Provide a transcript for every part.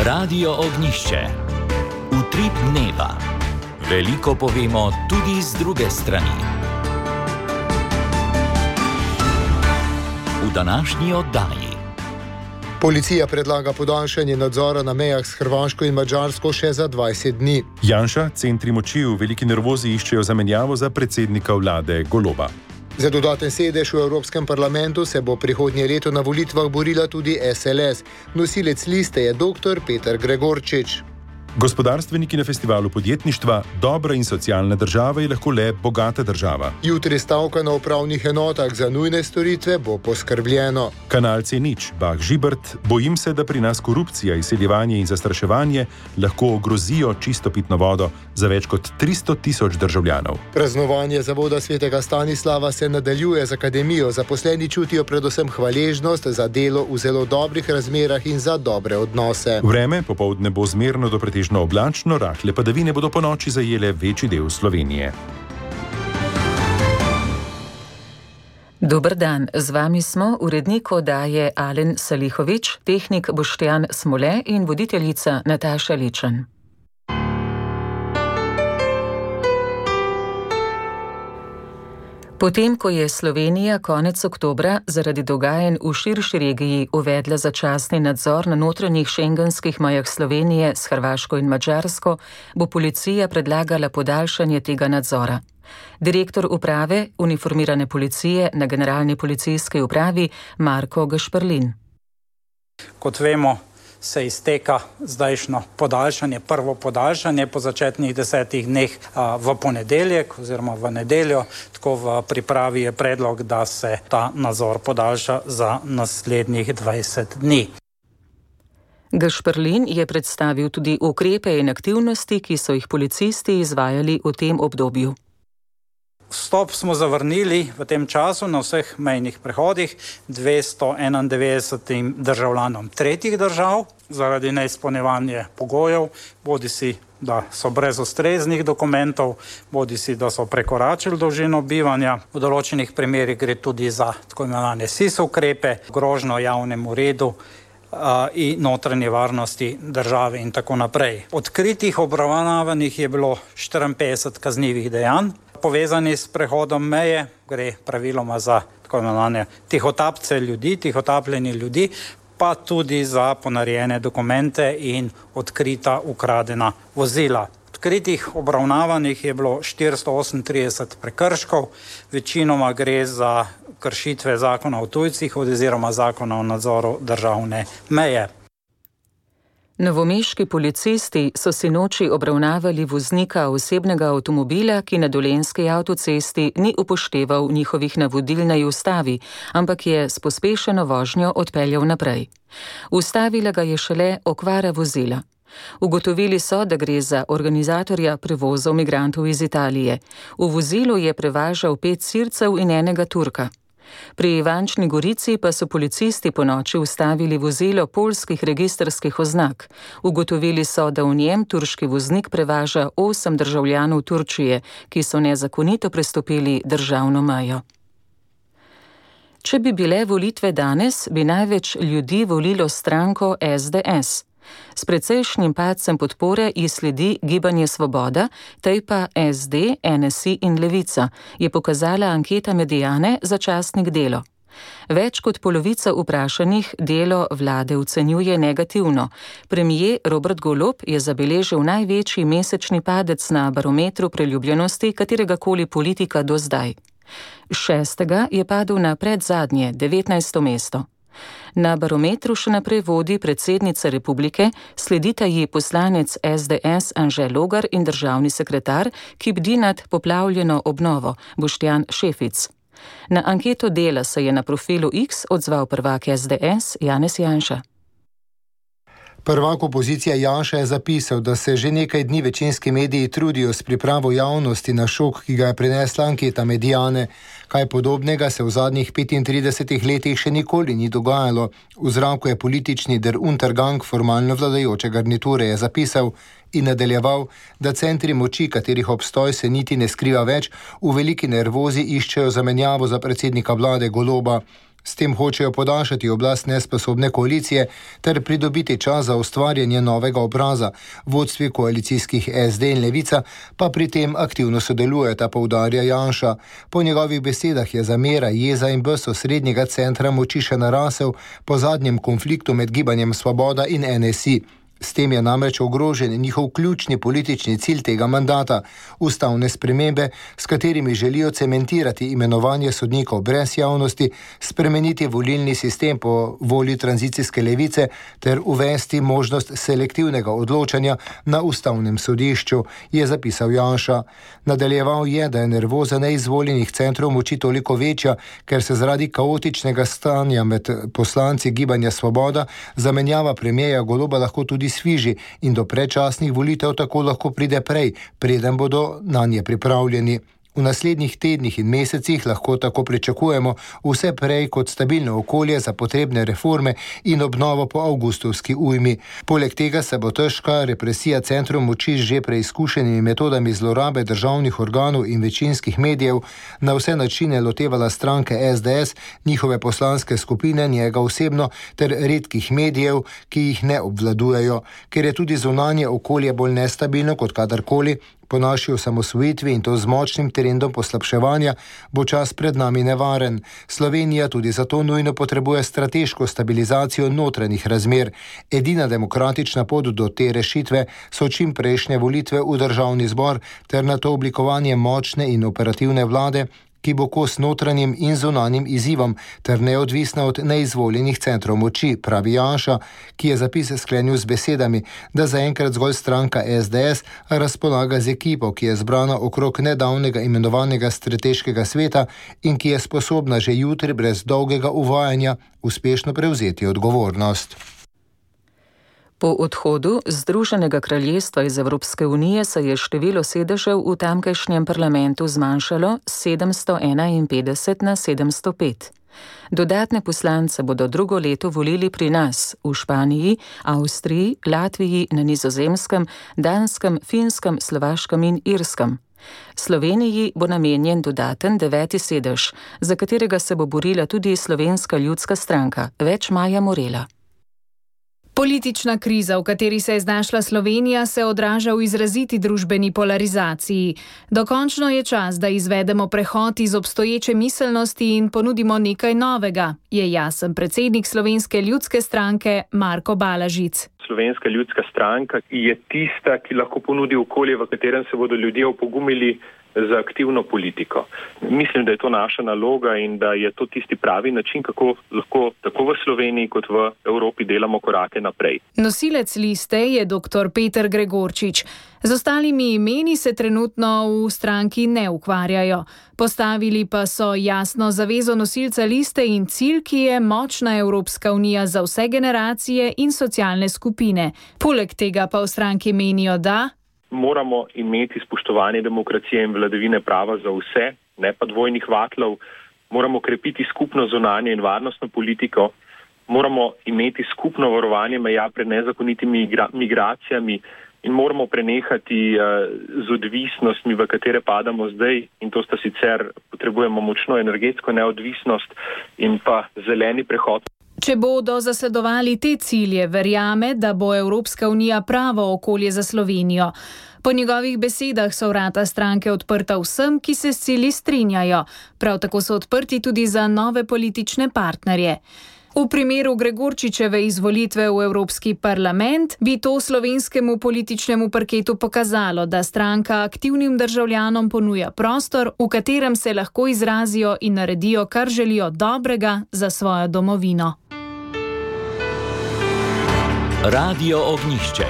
Radio Ognjišče. Utrip dneva. Veliko povemo tudi z druge strani. V današnji oddaji. Policija predlaga podaljšanje nadzora na mejah s Hrvaško in Madžarsko še za 20 dni. Janša, centri moči v veliki nervozi iščejo zamenjavo za predsednika vlade Goloba. Za dodaten sedež v Evropskem parlamentu se bo prihodnje leto na volitvah borila tudi SLS. Nosilec liste je dr. Peter Gregorčič. Gospodarstveniki na festivalu podjetništva: dobra in socialna država je lahko le bogata država. Jutri stavka na upravnih enotah, za nujne storitve bo poskrbljeno. Kanal C0, Bah Žibert: bojim se, da pri nas korupcija, izsiljevanje in zastraševanje lahko ogrozijo čisto pitno vodo za več kot 300.000 državljanov. Praznovanje zavoda svetega Stanislava se nadaljuje z akademijo. Zaposleni čutijo predvsem hvaležnost za delo v zelo dobrih razmerah in za dobre odnose. Vreme popoldne bo zmerno do pretežno oblačno, rahle padavine bodo ponoči zajele večji del Slovenije. Dober dan, z vami smo urednik oddaje Alen Salihovič, tehnik Boštjan Smole in voditeljica Nataša Ličen. Potem, ko je Slovenija konec oktobra zaradi dogajanj v širši regiji uvedla začasni nadzor na notranjih šengenskih mejah Slovenije s Hrvaško in Madžarsko, bo policija predlagala podaljšanje tega nadzora. Direktor uprave uniformirane policije na Generalni policijski upravi Marko Gašperlin. Kot vemo, se izteka zdajšnjo podaljšanje, prvo podaljšanje po začetnih 10 dneh v ponedeljek oziroma v nedeljo. Tako v pripravi je predlog, da se ta nadzor podaljša za naslednjih 20 dni. Gašperlin je predstavil tudi ukrepe in aktivnosti, ki so jih policisti izvajali v tem obdobju. Vstop smo zavrnili v tem času na vseh mejnih prehodih 291 državljanom tretjih držav zaradi neizpolnjevanja pogojev, bodisi da so brez ustreznih dokumentov, bodisi da so prekoračili dolžino bivanja. V določenih primerih gre tudi za tako imenovane SIS ukrepe, grožnjo javnemu redu in notranje varnosti države in tako naprej. Odkritih obravnavanih je bilo 54 kaznivih dejanj. Povezani s prehodom meje, gre praviloma za tako imenovane tihotapce ljudi, tihotapljenje ljudi, pa tudi za ponarejene dokumente in odkrita ukradena vozila. Odkritih obravnavanih je bilo 438 prekrškov, večinoma gre za kršitve zakona o tujcih oziroma zakona o nadzoru državne meje. Novomeški policisti so sinoči obravnavali voznika osebnega avtomobila, ki na Dolenjski avtocesti ni upošteval njihovih navodil naj ustavi, ampak je s pospešeno vožnjo odpeljal naprej. Ustavila ga je šele okvara vozila. Ugotovili so, da gre za organizatorja prevozov migrantov iz Italije. V vozilu je prevažal 5 Sircev in enega Turka. Pri Ivančni Gorici pa so policisti ponoči ustavili vozilo poljskih registrskih oznak. Ugotovili so, da v njem turški voznik prevaža 8 državljanov Turčije, ki so nezakonito prestopili državno mejo. Če bi bile volitve danes, bi največ ljudi volilo stranko SDS. S precejšnjim padcem podpore ji sledi Gibanje Svoboda, tej pa SD, NSI in Levica, je pokazala anketa Mediane za časnik Delo. Več kot polovica vprašanih delo vlade ocenjuje negativno. Premier Robert Golob je zabeležil največji mesečni padec na barometru priljubljenosti kateregakoli politika do zdaj. 6. je padel na predzadnje, 19. mesto. Na barometru še naprej vodi predsednica republike, sledita ji poslanec SDS Anže Logar in državni sekretar, ki bdi nad poplavljeno obnovo, Boštjan Šefic. Na anketo Dela se je na profilu X odzval prvak SDS Janez Janša. Prvak opozicije Janša je zapisal, da se že nekaj dni večinski mediji trudijo s pripravo javnosti na šok, ki ga je prinesla anketa Mediane. Kaj podobnega se v zadnjih 35 letih še nikoli ni dogajalo. V zraku je politični der Untergang formalno vladajoče garniture, je zapisal in nadaljeval, da centri moči, katerih obstoj se niti ne skriva več, v veliki nervozi iščejo zamenjavo za predsednika vlade Goloba. S tem hočejo podaljšati oblast nesposobne koalicije ter pridobiti čas za ustvarjanje novega obraza. Vodstvi koalicijskih SD in Levica pa pri tem aktivno sodelujeta, poudarja Janša. Po njegovih besedah je zamera, jeza in bes osrednjega centra moči še narasel po zadnjem konfliktu med Gibanjem Svoboda in NSI. S tem je namreč ogrožen njihov ključni politični cilj tega mandata, ustavne spremembe, s katerimi želijo cementirati imenovanje sodnikov brez javnosti, spremeniti volilni sistem po volji tranzicijske levice ter uvesti možnost selektivnega odločanja na ustavnem sodišču, je zapisal Janša. Nadaljeval je, da je nervoza neizvoljenih centrov moči toliko večja, ker se zaradi kaotičnega stanja med poslanci Gibanja Svoboda zamenjava premierja Goloba lahko tudi sviži in do predčasnih volitev tako lahko pride prej, preden bodo nanje pripravljeni. V naslednjih tednih in mesecih lahko tako pričakujemo vse prej kot stabilno okolje za potrebne reforme in obnovo po avgustovski ujmi. Poleg tega se bo težka represija centrov moči z že preizkušenimi metodami zlorabe državnih organov in večinskih medijev na vse načine lotevala stranke SDS, njihove poslanske skupine, njega osebno ter redkih medijev, ki jih ne obvladujejo. Ker je tudi zunanje okolje bolj nestabilno kot kadarkoli, po naši osamosvojitvi in to z močnim trendom poslabševanja, bo čas pred nami nevaren. Slovenija tudi zato nujno potrebuje strateško stabilizacijo notranjih razmer. Edina demokratična pot do te rešitve so čim prejšnje volitve v državni zbor ter na to oblikovanje močne in operativne vlade, ki bo kos notranjim in zunanjim izzivom ter neodvisna od neizvoljenih centrov moči, pravi Janša, ki je zapis sklenil z besedami, da zaenkrat zgolj stranka SDS razpolaga z ekipo, ki je zbrana okrog nedavnega imenovanega strateškega sveta in ki je sposobna že jutri brez dolgega uvajanja uspešno prevzeti odgovornost. Po odhodu Združenega kraljestva iz Evropske unije se je število sedežev v tamkajšnjem parlamentu zmanjšalo s 751 na 705. Dodatne poslance bodo drugo leto volili pri nas, v Španiji, Avstriji, Latviji, na Nizozemskem, Danskem, Finskem, Slovaškem in Irskem. Sloveniji bo namenjen dodaten 9. sedež, za katerega se bo borila tudi Slovenska ljudska stranka. Več Maja Morela. Politična kriza, v kateri se je znašla Slovenija, se odraža v izraziti družbeni polarizaciji. Dokončno je čas, da izvedemo prehod iz obstoječe miselnosti in ponudimo nekaj novega, je jasen predsednik Slovenske ljudske stranke Marko Balažic. Slovenska ljudska stranka je tista, ki lahko ponudi okolje, v katerem se bodo ljudje opogumili za aktivno politiko. Mislim, da je to naša naloga in da je to tisti pravi način, kako lahko tako v Sloveniji kot v Evropi delamo korake naprej. Nosilec liste je dr. Peter Gregorčič. Z ostalimi imeni se trenutno v stranki ne ukvarjajo. Postavili pa so jasno zavezo nosilca liste in cilj, ki je močna Evropska unija za vse generacije in socialne skupine. Poleg tega pa v stranki menijo, da moramo imeti spoštovanje demokracije in vladavine prava za vse, ne pa dvojnih vatlov. Moramo krepiti skupno zunanje in varnostno politiko. Moramo imeti skupno varovanje meja pred nezakonitimi migracijami in moramo prenehati z odvisnostmi, v katere padamo zdaj. In to sta sicer, potrebujemo močno energetsko neodvisnost in pa zeleni prehod. Če bodo zasledovali te cilje, verjame, da bo Evropska unija pravo okolje za Slovenijo. Po njegovih besedah so vrata stranke odprta vsem, ki se s cilji strinjajo. Prav tako so odprti tudi za nove politične partnerje. V primeru Gregorčičeve izvolitve v Evropski parlament bi to slovenskemu političnemu parketu pokazalo, da stranka aktivnim državljanom ponuja prostor, v katerem se lahko izrazijo in naredijo, kar želijo dobrega za svojo domovino. Radio Ognjišče.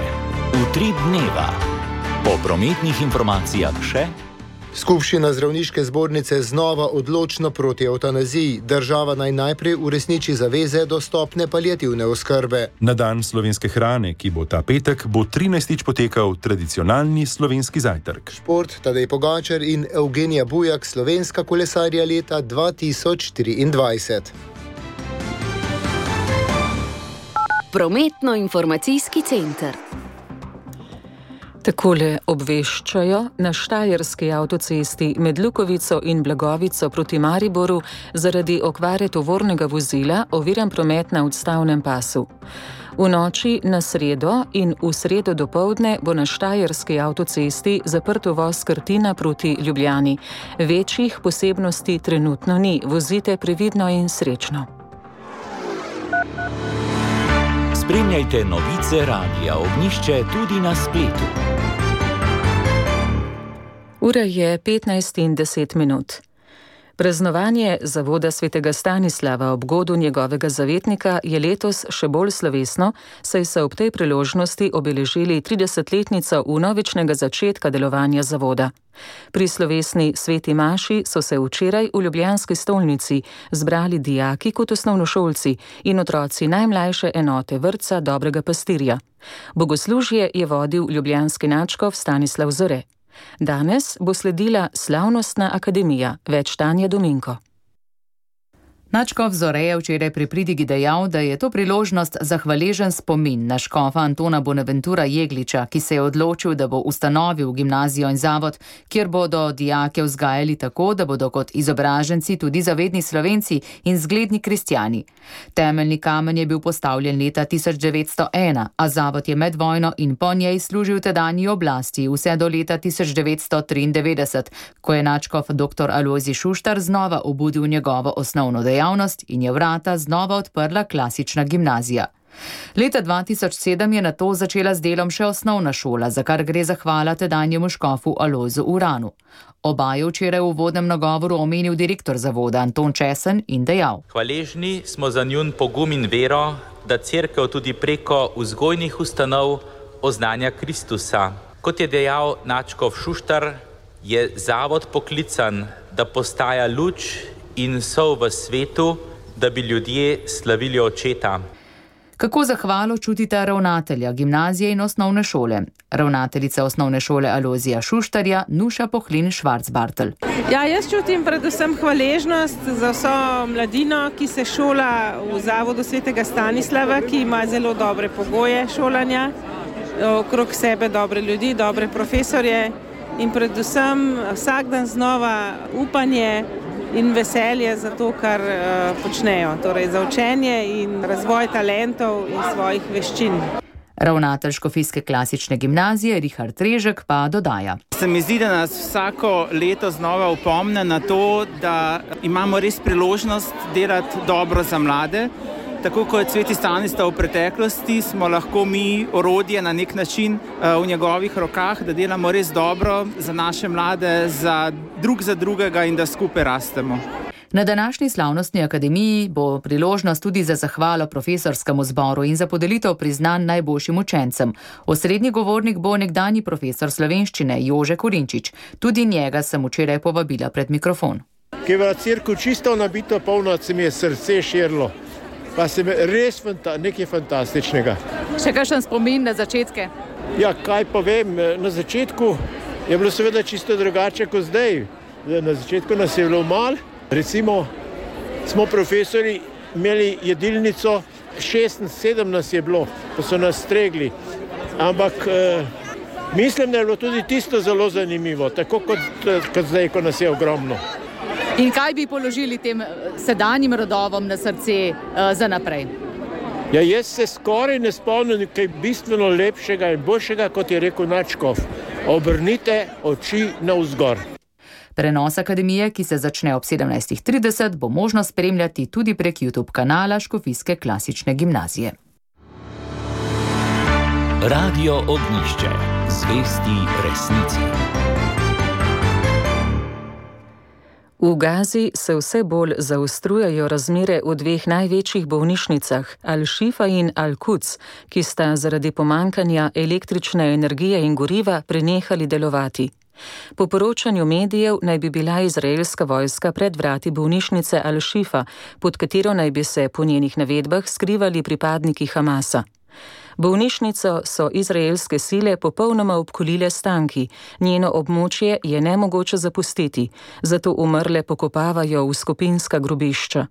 Utrip dneva. Po prometnih informacijah še. Skupščina zdravniške zbornice znova odločno proti evtanaziji. Država naj najprej uresniči zaveze do stopnje paliativne oskrbe. Na dan slovenske hrane, ki bo ta petek, bo 13. potekal tradicionalni slovenski zajtrk. Šport, Tadej Pogačar in Evgenija Bujak, slovenska kolesarja leta 2024. Prometno-informacijski center. Takole obveščajo: na Štajerski avtocesti med Lukovico in Blagovico proti Mariboru zaradi okvare tovornega vozila oviran promet na odstavnem pasu. V noči na sredo in v sredo dopoldne bo na Štajerski avtocesti zaprt uvoz Krtina proti Ljubljani. Večjih posebnosti trenutno ni, vozite previdno in srečno. Spremljajte novice Radia Ognjišče tudi na spletu. Ura je 15:10. Praznovanje zavoda svetega Stanislava ob godu njegovega zavetnika je letos še bolj slovesno, saj so ob tej priložnosti obeležili 30-letnico vnovičnega začetka delovanja zavoda. Pri slovesni sveti maši so se včeraj v ljubljanski stolnici zbrali dijaki kot osnovnošolci in otroci najmlajše enote vrtca Dobrega pastirja. Bogoslužje je vodil ljubljanski nadškof Stanislav Zore. Danes bo sledila slavnostna akademija, več Tanja Dominko. Nadškof Zore je včeraj pri pridigi dejal, da je to priložnost za hvaležen spomin na škofa Antona Bonaventura Jegliča, ki se je odločil, da bo ustanovil gimnazijo in zavod, kjer bodo dijake vzgajali tako, da bodo kot izobraženci tudi zavedni Slovenci in zgledni kristjani. Temeljni kamen je bil postavljen leta 1901, a zavod je med vojno in po njej služil tedanji oblasti vse do leta 1993, ko je nadškof dr. Alojzij Šuštar znova obudil njegovo osnovno dejavnost in je vrata znova odprla klasična gimnazija. Leta 2007 je nato začela z delom še osnovna šola, za kar gre zahvala tedanjemu škofu Alojzu Uranu. Oba je včeraj v uvodnem nagovoru omenil direktor zavoda Anton Česen in dejal: Hvaležni smo za njun pogum in vero, da cerkev tudi preko vzgojnih ustanov oznanja Kristusa. Kot je dejal nadškof Šuštar, je zavod poklican, da postaja luč in sol v svetu, da bi ljudje slavili očeta. Kako zahvalo čutita ravnatelja gimnazije in osnovne šole? Ravnateljica osnovne šole Alojzija Šuštarja, Nuša Pohlin Švarcbartl. Jaz čutim predvsem hvaležnost za vso mladino, ki se šola v zavodu svetega Stanislava, ki ima zelo dobre pogoje šolanja, okrog sebe dobre ljudi, dobre profesorje in predvsem vsak dan znova upanje in veselje za to, kar počnejo, torej za učenje in razvoj talentov in svojih veščin. Ravnatelj škofijske klasične gimnazije Richard Režek pa dodaja: Se mi zdi, da nas vsako leto znova opomne na to, da imamo res priložnost delati dobro za mlade. Tako kot sveti Stanislav v preteklosti, smo lahko mi orodje na nek način v njegovih rokah, da delamo res dobro za naše mlade, za drugega in da skupaj rastemo. Na današnji slavnostni akademiji bo priložnost tudi za zahvalo profesorskemu zboru in za podelitev priznanj najboljšim učencem. Osrednji govornik bo nekdanji profesor slovenščine Jože Korinčič. Tudi njega sem včeraj povabila pred mikrofon. Ki je v cirku čisto nabito polno, se mi je srce širilo. Pa se mi res nekaj fantastičnega. Še kakšen spomin na začetke? Ja, kaj povem, na začetku je bilo seveda čisto drugače kot zdaj. Na začetku nas je bilo malo. Recimo, smo profesori imeli jedilnico, 6-7 nas je bilo, ko so nas stregli. Ampak mislim, da je bilo tudi tisto zelo zanimivo, tako kot zdaj, ko nas je ogromno. In kaj bi položili tem sedanjim rodovom na srce za naprej? Ja, jaz se skoraj ne spomnim kaj bistveno lepšega in boljšega, kot je rekel nadškof. Obrnite oči navzgor. Prenos akademije, ki se začne ob 17:30, bo možno spremljati tudi prek YouTube kanala Škofijske klasične gimnazije. Radio Ognjišče, zvesti resnici. V Gazi se vse bolj zaostrujejo razmere v dveh največjih bolnišnicah, Al-Šifa in Al-Quds, ki sta zaradi pomankanja električne energije in goriva prenehali delovati. Po poročanju medijev naj bi bila izraelska vojska pred vrati bolnišnice Al-Šifa, pod katero naj bi se po njenih navedbah skrivali pripadniki Hamasa. Bolnišnico so izraelske sile popolnoma obkolile s tanki, njeno območje je nemogoče zapustiti, zato umrle pokopavajo v skupinska grobišča.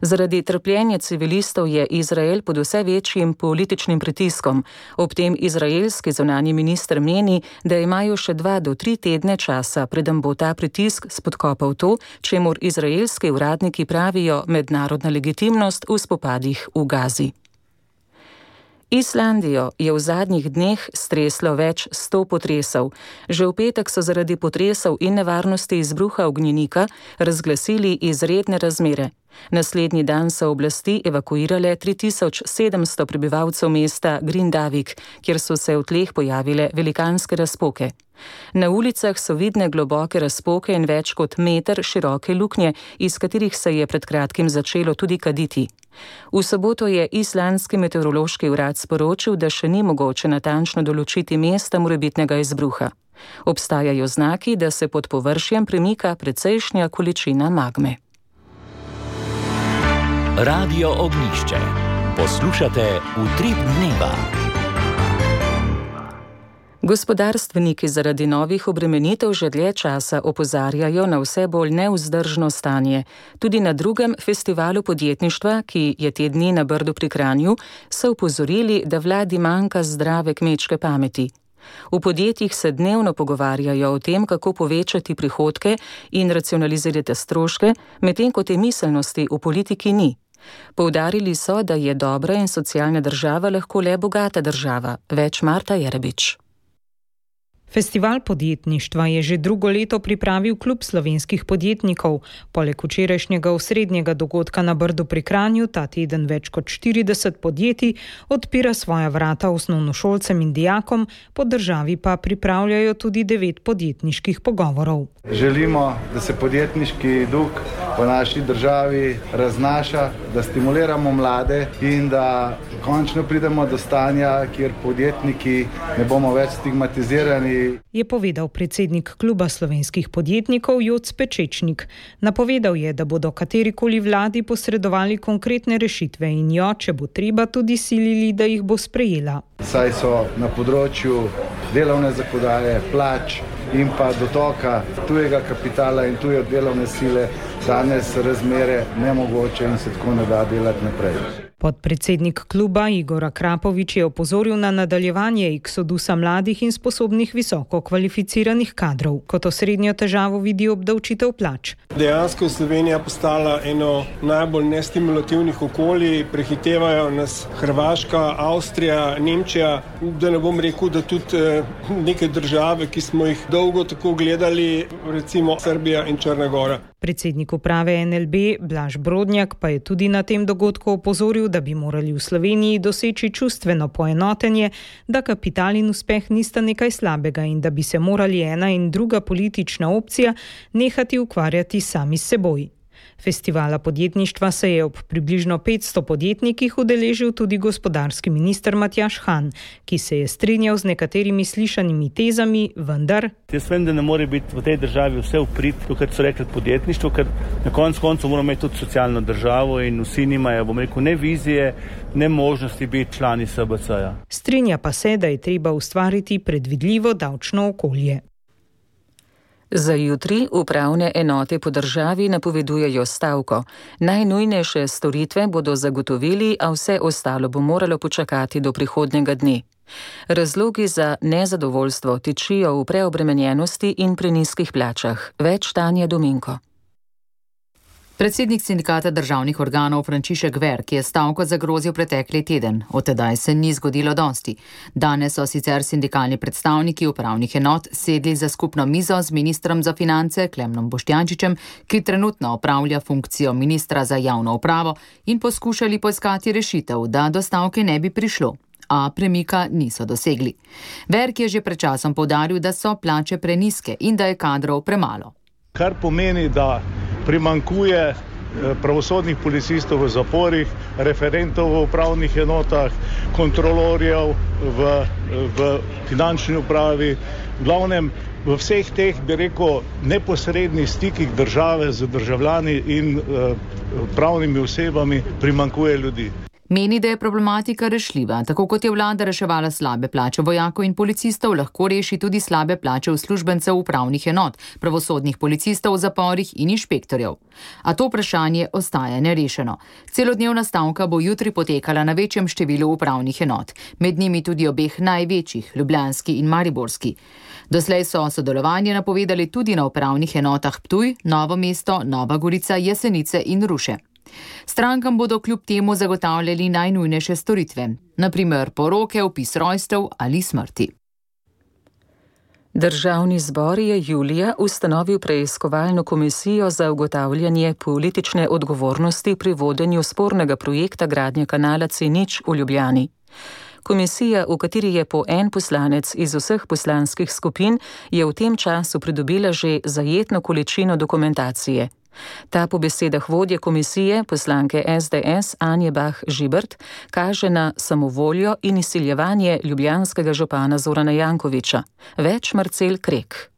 Zaradi trpljenja civilistov je Izrael pod vse večjim političnim pritiskom. Ob tem izraelski zunanji minister meni, da imajo še 2 do 3 tedne časa, preden bo ta pritisk spodkopal to, čemur izraelski uradniki pravijo mednarodna legitimnost v spopadih v Gazi. Islandijo je v zadnjih dneh streslo več 100 potresov. Že v petek so zaradi potresov in nevarnosti izbruha ognjenika razglasili izredne razmere. Naslednji dan so oblasti evakuirale 3700 prebivalcev mesta Grindavik, kjer so se v tleh pojavile velikanske razpoke. Na ulicah so vidne globoke razpoke in več kot meter široke luknje, iz katerih se je pred kratkim začelo tudi kaditi. V soboto je islandski meteorološki urad sporočil, da še ni mogoče natančno določiti mesta morebitnega izbruha. Obstajajo znaki, da se pod površjem premika precejšnja količina magme. Radio Ognjišče. Poslušate Utrip dneva. Gospodarstveniki zaradi novih obremenitev že dlje časa opozarjajo na vse bolj nevzdržno stanje. Tudi na drugem festivalu podjetništva, ki je te dni na Brdu pri Kranju, so opozorili, da vladi manjka zdrave kmečke pameti. V podjetjih se dnevno pogovarjajo o tem, kako povečati prihodke in racionalizirati stroške, medtem ko te miselnosti v politiki ni. Poudarili so, da je dobra in socialna država lahko le bogata država. Več Marta Jerebič. Festival podjetništva je že drugo leto pripravil Klub slovenskih podjetnikov. Poleg včerajšnjega osrednjega dogodka na Brdu pri Kranju ta teden več kot 40 podjetij odpira svoja vrata osnovnošolcem in dijakom, po državi pa pripravljajo tudi 9 podjetniških pogovorov. Želimo, da se podjetniški duh v naši državi raznaša, da stimuliramo mlade in da končno pridemo do stanja, kjer podjetniki ne bomo več stigmatizirani. Je povedal predsednik Kluba slovenskih podjetnikov Joc Pečečnik. Napovedal je, da bodo katerikoli vladi posredovali konkretne rešitve in jo, če bo treba, tudi silili, da jih bo sprejela. Saj so na področju delovne zakonodaje, plač in pa dotoka tujega kapitala in tuje delovne sile danes razmere nemogoče in se tako ne da delati naprej. Podpredsednik kluba Igor Akrapovič je opozoril na nadaljevanje eksodusa mladih in sposobnih visoko kvalificiranih kadrov. Kot osrednjo težavo vidi obdavčitev plač. Dejansko je Slovenija postala eno najbolj nestimulativnih okolij, prehitevajo nas Hrvaška, Avstrija, Nemčija, da ne bom rekel, da tudi neke države, ki smo jih dolgo tako gledali, recimo Srbija in Črna Gora. Predsednik uprave NLB Blaž Brodnjak pa je tudi na tem dogodku opozoril, da bi morali v Sloveniji doseči čustveno poenotenje, da kapital in uspeh nista nekaj slabega in da bi se morali ena in druga politična opcija nehati ukvarjati sami s seboj. Festivala podjetništva se je ob približno 500 podjetnikih udeležil tudi gospodarski minister Matjaž Han, ki se je strinjal z nekaterimi slišanimi tezami, vendar... Jaz vem, da ne more biti v tej državi vse v prid, to, kar so rekli podjetništvo, ker na koncu moramo imeti tudi socialno državo in vsi nimajo, bom rekel, ne vizije, ne možnosti biti člani SBC-ja. Strinja pa se, da je treba ustvariti predvidljivo davčno okolje. Za jutri upravne enote po državi napovedujejo stavko. Najnujnejše storitve bodo zagotovili, a vse ostalo bo moralo počakati do prihodnjega dne. Razlogi za nezadovoljstvo tičijo v preobremenjenosti in prenizkih plačah. Več Tanja Dominko. Predsednik sindikata državnih organov Frančišek Verk je stavko zagrozil pretekli teden. Od tedaj se ni zgodilo dosti. Danes so sicer sindikalni predstavniki upravnih enot sedli za skupno mizo z ministrom za finance Klemnom Boštjančičem, ki trenutno opravlja funkcijo ministra za javno upravo, in poskušali poiskati rešitev, da do stavke ne bi prišlo. A premika niso dosegli. Verk je že pred časom poudaril, da so plače prenizke in da je kadrov premalo. Kar pomeni, da primanjkuje pravosodnih policistov v zaporih, referentov v upravnih enotah, kontrolorjev v finančni upravi. V glavnem, v vseh teh, bi rekel, neposrednih stikih države z državljani in pravnimi osebami primanjkuje ljudi. Meni, da je problematika rešljiva. Tako kot je vlada reševala slabe plače vojakov in policistov, lahko reši tudi slabe plače uslužbencev upravnih enot, pravosodnih policistov v zaporih in inšpektorjev. A to vprašanje ostaja nerešeno. Celodnevna stavka bo jutri potekala na večjem številu upravnih enot, med njimi tudi obeh največjih, ljubljanski in mariborski. Doslej so sodelovanje napovedali tudi na upravnih enotah Ptuj, Novo mesto, Nova Gorica, Jesenice in Ruše. Strankam bodo kljub temu zagotavljali najnujnejše storitve, na primer poroke, vpis rojstev ali smrti. Državni zbor je julija ustanovil preiskovalno komisijo za ugotavljanje politične odgovornosti pri vodenju spornega projekta gradnje kanala C0 v Ljubljani. Komisija, v kateri je po en poslanec iz vseh poslanskih skupin, je v tem času pridobila že zajetno količino dokumentacije. Ta po besedah vodje komisije, poslanke SDS Anje Bah Žibert, kaže na samovoljo in izsiljevanje ljubljanskega župana Zorana Jankovića. Več Marcel Krek.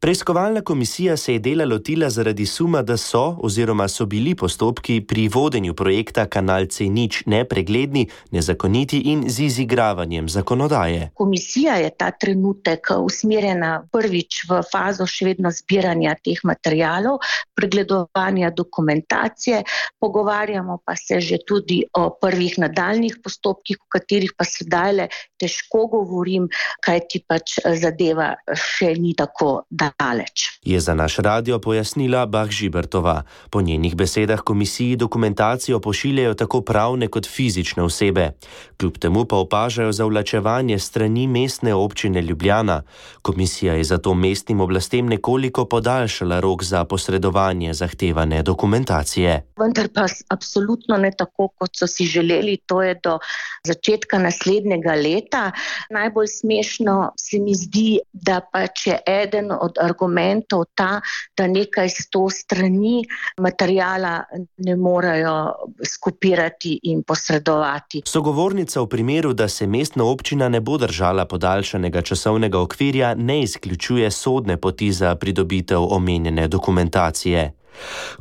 Preiskovalna komisija se je dela lotila zaradi suma, da so bili postopki pri vodenju projekta Kanal C0 nepregledni, nezakoniti in z izigravanjem zakonodaje. Komisija je ta trenutek usmerjena prvič v fazo še vedno zbiranja teh materialov, pregledovanja dokumentacije, pogovarjamo pa se že tudi o prvih nadaljnih postopkih, o katerih pa sedaj težko govorim, kajti pač zadeva še ni tako daleč. Je za naš radio pojasnila Bah Žibertova. Po njenih besedah komisiji dokumentacijo pošiljajo tako pravne kot fizične osebe. Kljub temu pa opažajo zavlačevanje strani mestne občine Ljubljana. Komisija je zato mestnim oblastem nekoliko podaljšala rok za posredovanje zahtevane dokumentacije. Vendar pa absolutno ne tako, kot so si želeli, to je do začetka naslednjega leta. Najbolj smešno se mi zdi, da pač je eden od argumentov ta, da nekaj 100 strani materijala ne morejo skopirati in posredovati. Sogovornica v primeru, da se mestna občina ne bo držala podaljšanega časovnega okvirja, ne izključuje sodne poti za pridobitev omenjene dokumentacije.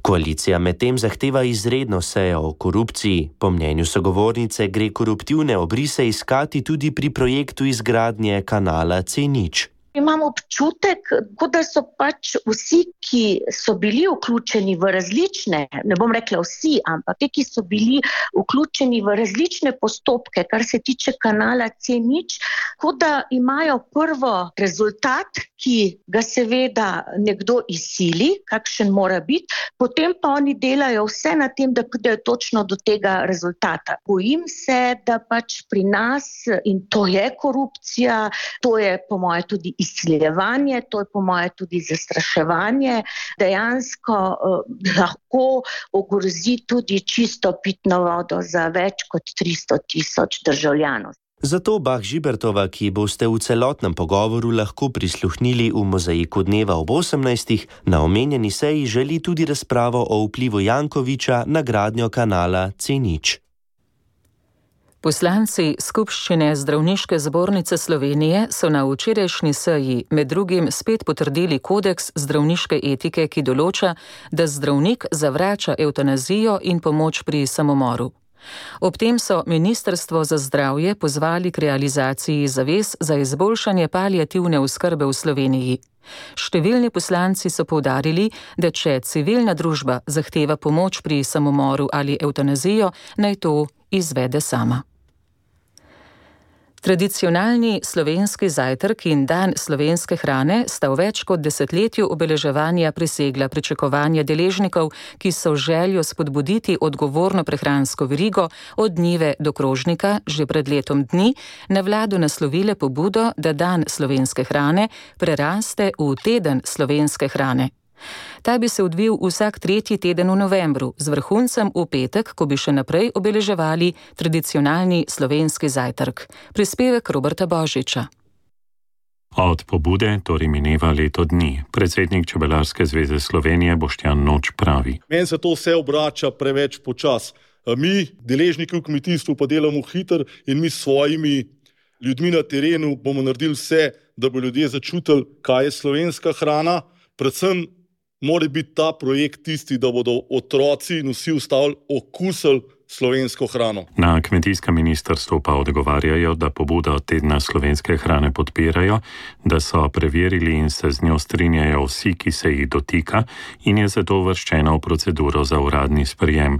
Koalicija medtem zahteva izredno sejo o korupciji. Po mnenju sogovornice gre koruptivne obrise iskati tudi pri projektu izgradnje kanala C0. Imam občutek, kot da so pač vsi, ki so bili vključeni v različne, ne bom rekla vsi, ampak te, ki so bili vključeni v različne postopke, kar se tiče kanala C0, kot da imajo prvo rezultat, ki ga seveda nekdo izsili, kakšen mora biti, potem pa oni delajo vse na tem, da pridejo točno do tega rezultata. Bojim se, da pač pri nas, in to je korupcija, to je po moje tudi izsiljevanje, to je po moje tudi zastraševanje, dejansko lahko ogrozi tudi čisto pitno vodo za več kot 300 000 državljanov. Zato Bah Žibertova, ki boste v celotnem pogovoru lahko prisluhnili v mozaiku dneva ob 18. na omenjeni seji, želi tudi razpravo o vplivu Jankovića na gradnjo kanala C0. Poslanci Skupščine Zdravniške zbornice Slovenije so na včerajšnji seji med drugim spet potrdili kodeks zdravniške etike, ki določa, da zdravnik zavrača evtanazijo in pomoč pri samomoru. Ob tem so Ministrstvo za zdravje pozvali k realizaciji zavez za izboljšanje paliativne oskrbe v Sloveniji. Številni poslanci so poudarili, da če civilna družba zahteva pomoč pri samomoru ali evtanazijo, naj to izvede sama. Tradicionalni slovenski zajtrk in dan slovenske hrane sta v več kot desetletju obeleževanja presegla pričakovanja deležnikov, ki so željo spodbuditi odgovorno prehransko verigo od njive do krožnika že pred letom dni na vlado naslovile pobudo, da dan slovenske hrane preraste v teden slovenske hrane. Ta bi se odvil vsak 3. teden v novembru, z vrhuncem v petek, ko bi še naprej obeleževali tradicionalni slovenski zajtrk. Prispevek Roberta Božiča. Od pobude torej mineva leto dni. Predsednik Čebelarske zveze Slovenije Boštjan Noč pravi: Meni se to vse obrača preveč počas. Mi, deležniki v kmetijstvu, pa delamo hitro in mi s svojimi ljudmi na terenu bomo naredili vse, da bo ljudje začutili, kaj je slovenska hrana. Predvsem mora biti ta projekt tisti, da bodo otroci in vsi ostali okusili slovensko hrano. Na kmetijskem ministrstvu pa odgovarjajo, da pobudo tedna slovenske hrane podpirajo, da so preverili in se z njo strinjajo vsi, ki se jih dotika in je zato uvrščena v proceduro za uradni sprejem.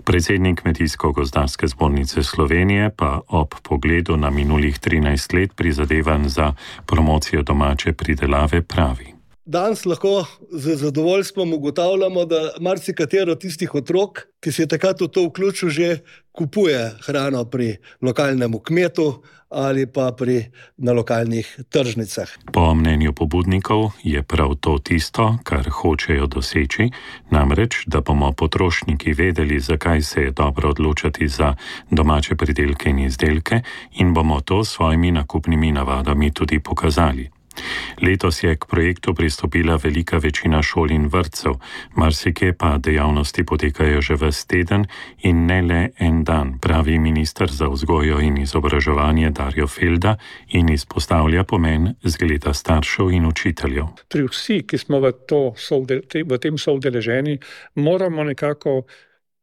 Predsednik Kmetijsko-gozdarske zbornice Slovenije pa ob pogledu na minulih 13 let prizadevanj za promocijo domače pridelave pravi. Danes lahko z zadovoljstvom ugotavljamo, da marsikatero tistih otrok, ki se je takrat v to vključil, že kupuje hrano pri lokalnemu kmetu ali pa na lokalnih tržnicah. Po mnenju pobudnikov je prav to tisto, kar hočejo doseči, namreč, da bomo potrošniki vedeli, zakaj se je dobro odločati za domače pridelke in izdelke in bomo to s svojimi nakupnimi navadami tudi pokazali. Letos je k projektu pristopila velika večina šol in vrtcev, marsikje pa dejavnosti potekajo že ves teden in ne le en dan, pravi minister za vzgojo in izobraževanje Darjo Felda in izpostavlja pomen zgleda staršev in učiteljev. Pri vsi, ki smo v tem soudeleženi, moramo nekako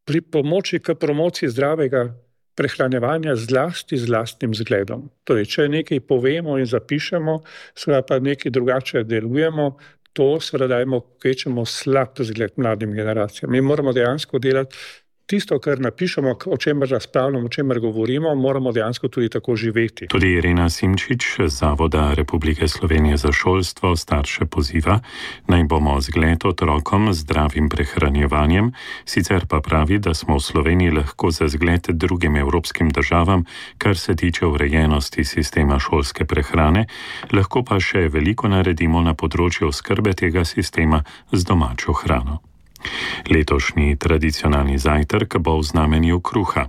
pri pomoči k promociji zdravega prehranjevanja zlasti z lastnim zgledom. Torej, če nekaj povemo in zapišemo, seveda pa nekaj drugače delujemo, to seveda dajemo kvečemo slab zgled mladim generacijam. Mi moramo dejansko delati tisto, kar napišemo, o čemer razpravljamo, o čemer govorimo, moramo dejansko tudi tako živeti. Tudi Irena Simčič z Zavoda Republike Slovenije za šolstvo starše poziva, naj bomo zgled otrokom z zdravim prehranjevanjem, sicer pa pravi, da smo v Sloveniji lahko za zgled drugim evropskim državam, kar se tiče urejenosti sistema šolske prehrane, lahko pa še veliko naredimo na področju oskrbe tega sistema z domačo hrano. Letošnji tradicionalni zajtrk bo v znamenju kruha,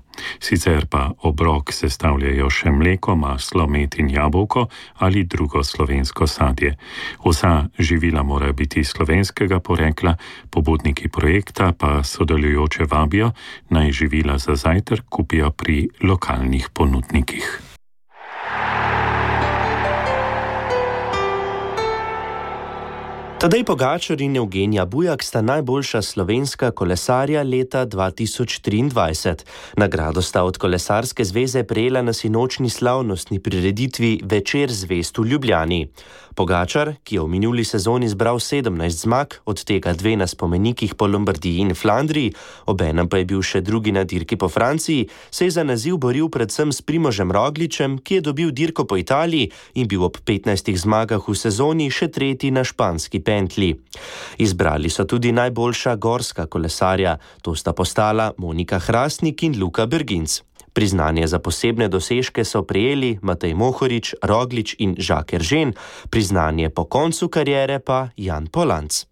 sicer pa obrok sestavljajo še mleko, maslo, med in jabolko ali drugo slovensko sadje. Vsa živila morajo biti slovenskega porekla, pobudniki projekta pa sodelujoče vabijo, naj živila za zajtrk kupijo pri lokalnih ponudnikih. Tadej Pogačar in Evgenija Bujak sta najboljša slovenska kolesarja leta 2023. Nagrado sta od Kolesarske zveze prejela na sinočni slavnostni prireditvi Večer zvezd v Ljubljani. Pogačar, ki je v minuli sezoni zbral 17 zmag, od tega 2 na spomenikih po Lombardiji in Flandriji, obenem pa je bil še drugi na dirki po Franciji, se je za naziv boril predvsem s Primožem Rogličem, ki je dobil dirko po Italiji in bil ob 15 zmagah v sezoni še tretji na španski pentlji. Izbrali so tudi najboljša gorska kolesarja, to sta postala Monika Hrastnik in Luka Berginc. Priznanje za posebne dosežke so prejeli Matej Mohorič, Roglič in Jacques Eržen, priznanje po koncu kariere pa Jan Polanc.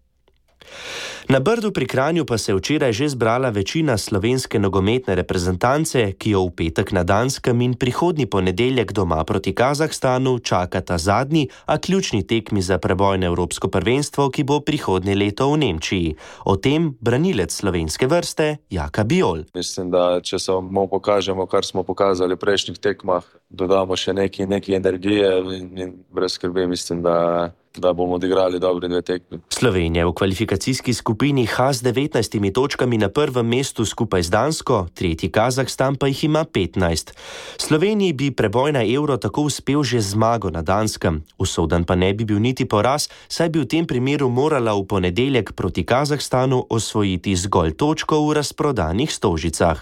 Na Brdu pri Kranju pa se je včeraj že zbrala večina slovenske nogometne reprezentance, ki jo v petek na Danskem in prihodnji ponedeljek doma proti Kazahstanu čakata zadnji, a ključni tekmi za preboj na Evropsko prvenstvo, ki bo prihodnje leto v Nemčiji. O tem branilec slovenske vrste Jaka Bijol. Mislim, da če samo pokažemo, kar smo pokazali v prejšnjih tekmah, dodamo še nekaj energije in brez skrbi mislim, da bomo odigrali dobri 2 tekmi. Slovenija v kvalifikacijski skupini H z 19 točkami na prvem mestu skupaj z Dansko, tretji Kazahstan pa jih ima 15. Sloveniji bi preboj na Euro tako uspel že zmago na Danskem. Usoden pa ne bi bil niti poraz, saj bi v tem primeru morala v ponedeljek proti Kazahstanu osvojiti zgolj točko v razprodanih Stožicah.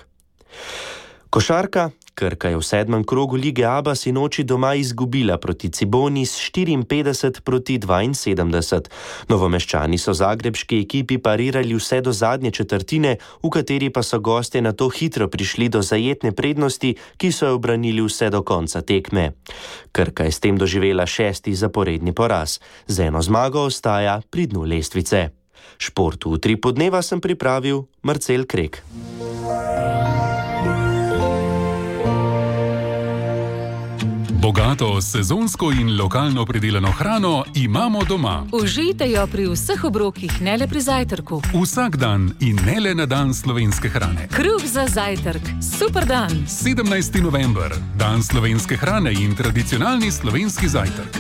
Košarka. Krka je v 7. krogu lige ABA sinoči doma izgubila proti Ciboni s 54 proti 72. Novomeščani so zagrebški ekipi parirali vse do zadnje četrtine, v kateri pa so gostje nato hitro prišli do zajetne prednosti, ki so jo obranili vse do konca tekme. Krka je s tem doživela 6. zaporedni poraz. Z eno zmago ostaja pri dnu lestvice. Športu v 3 podneva sem pripravil Marcel Krek. Bogato, sezonsko in lokalno pridelano hrano imamo doma. Užijte jo pri vseh obrokih, ne le pri zajtrku. Vsak dan in ne le na dan slovenske hrane. Kruh za zajtrk. Super dan. 17. november. Dan slovenske hrane in tradicionalni slovenski zajtrk.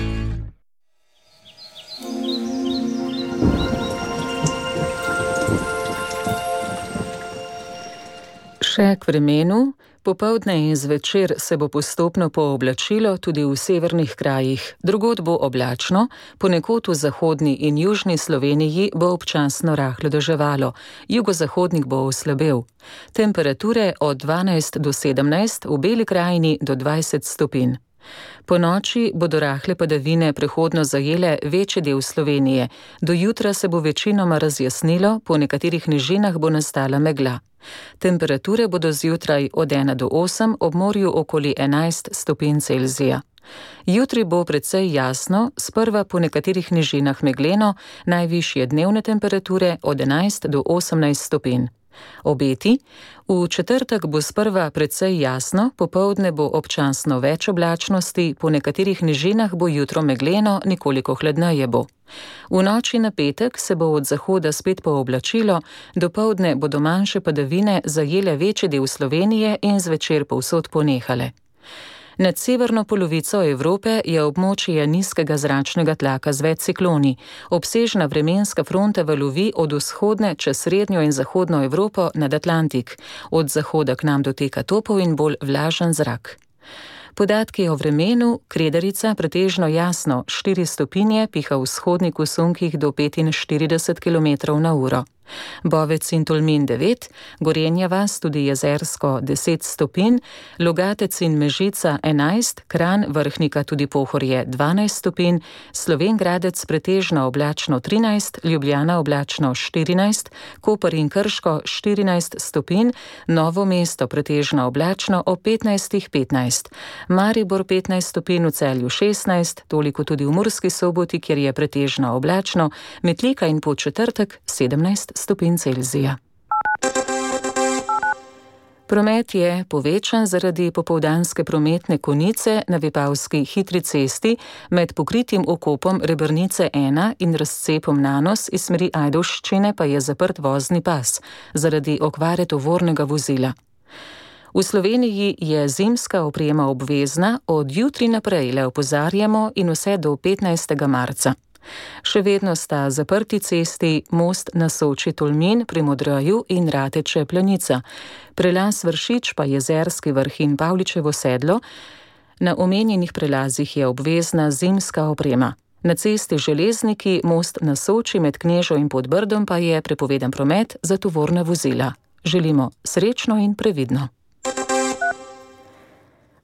Še k vremenu. Popoldne in zvečer se bo postopno pooblačilo tudi v severnih krajih. Drugod bo oblačno, ponekod v zahodni in južni Sloveniji bo občasno rahlo deževalo, jugozahodnik bo oslabel. Temperature od 12 do 17, v Beli krajini do 20 stopinj. Po noči bodo rahle padavine prehodno zajele večji del Slovenije. Do jutra se bo večinoma razjasnilo, po nekaterih nižinah bo nastala megla. Temperature bodo zjutraj od 1 do 8, ob morju okoli 11 stopinj Celzija. Jutri bo precej jasno, sprva po nekaterih nižinah megleno, najvišje dnevne temperature od 11 do 18 stopinj. Obeti. V četrtek bo sprva precej jasno, popoldne bo občasno več oblačnosti, po nekaterih nižinah bo jutro megleno, nekoliko hladneje bo. V noči na petek se bo od zahoda spet pooblačilo, dopoldne bodo manjše padavine zajele večji del Slovenije in zvečer povsod ponehale. Nad severno polovico Evrope je območje nizkega zračnega tlaka z več cikloni. Obsežna vremenska fronta valovi od vzhodne čez srednjo in zahodno Evropo nad Atlantik. Od zahoda k nam doteka topel in bolj vlažen zrak. Podatki o vremenu. Kredarica pretežno jasno, 4 stopinje, piha vzhodnik v sunkih do 45 km/h. Bovec in Tolmin 9, Gorenja vas, tudi Jezersko 10 stopinj, Logatec in Mežica 11, Kranj, Vrhnika tudi Pohorje 12 stopinj, Slovenj Gradec pretežno oblačno 13, Ljubljana oblačno 14, Koper in Krško 14 stopinj, Novo mesto pretežno oblačno ob 15, Maribor 15 stopinj, v Celju 16, toliko tudi v Murski Soboti, kjer je pretežno oblačno, Metlika in Podčetrtek 17 stopinj Celzija. Promet je povečan zaradi popoldanske prometne konice na Vipavski hitri cesti med pokritim okopom Rebrnice 1 in razcepom Nanos iz smeri Ajdovščine pa je zaprt vozni pas zaradi okvare tovornega vozila. V Sloveniji je zimska oprema obvezna, od jutri naprej le opozarjamo in vse do 15. marca. Še vedno sta zaprti cesti most na Soči Tolmin pri Modroju in Rateče Planica. Prelaz Vršič pa Jezerski vrh in Pavličevo sedlo. Na omenjenih prelazih je obvezna zimska oprema. Na cesti Železniki most na Soči med Knežo in Podbrdom pa je prepovedan promet za tovorna vozila. Želimo srečno in previdno.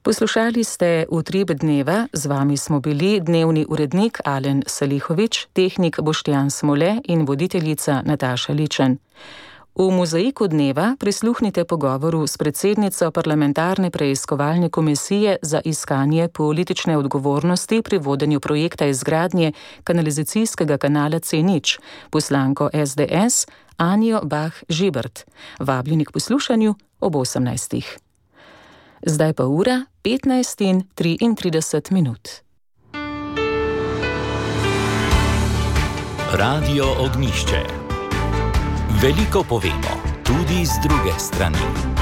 Poslušali ste Utrip dneva, z vami smo bili dnevni urednik Alen Salihovič, tehnik Boštjan Smole in voditeljica Nataša Ličen. V mozaiku dneva prisluhnite pogovoru s predsednico parlamentarne preiskovalne komisije za iskanje politične odgovornosti pri vodenju projekta izgradnje kanalizacijskega kanala C0, poslanko SDS Anjo Bah Žibert. Vabljeni k poslušanju ob 18. Zdaj pa ura 15:33. Radio Ognjišče. Veliko povemo, tudi z druge strani.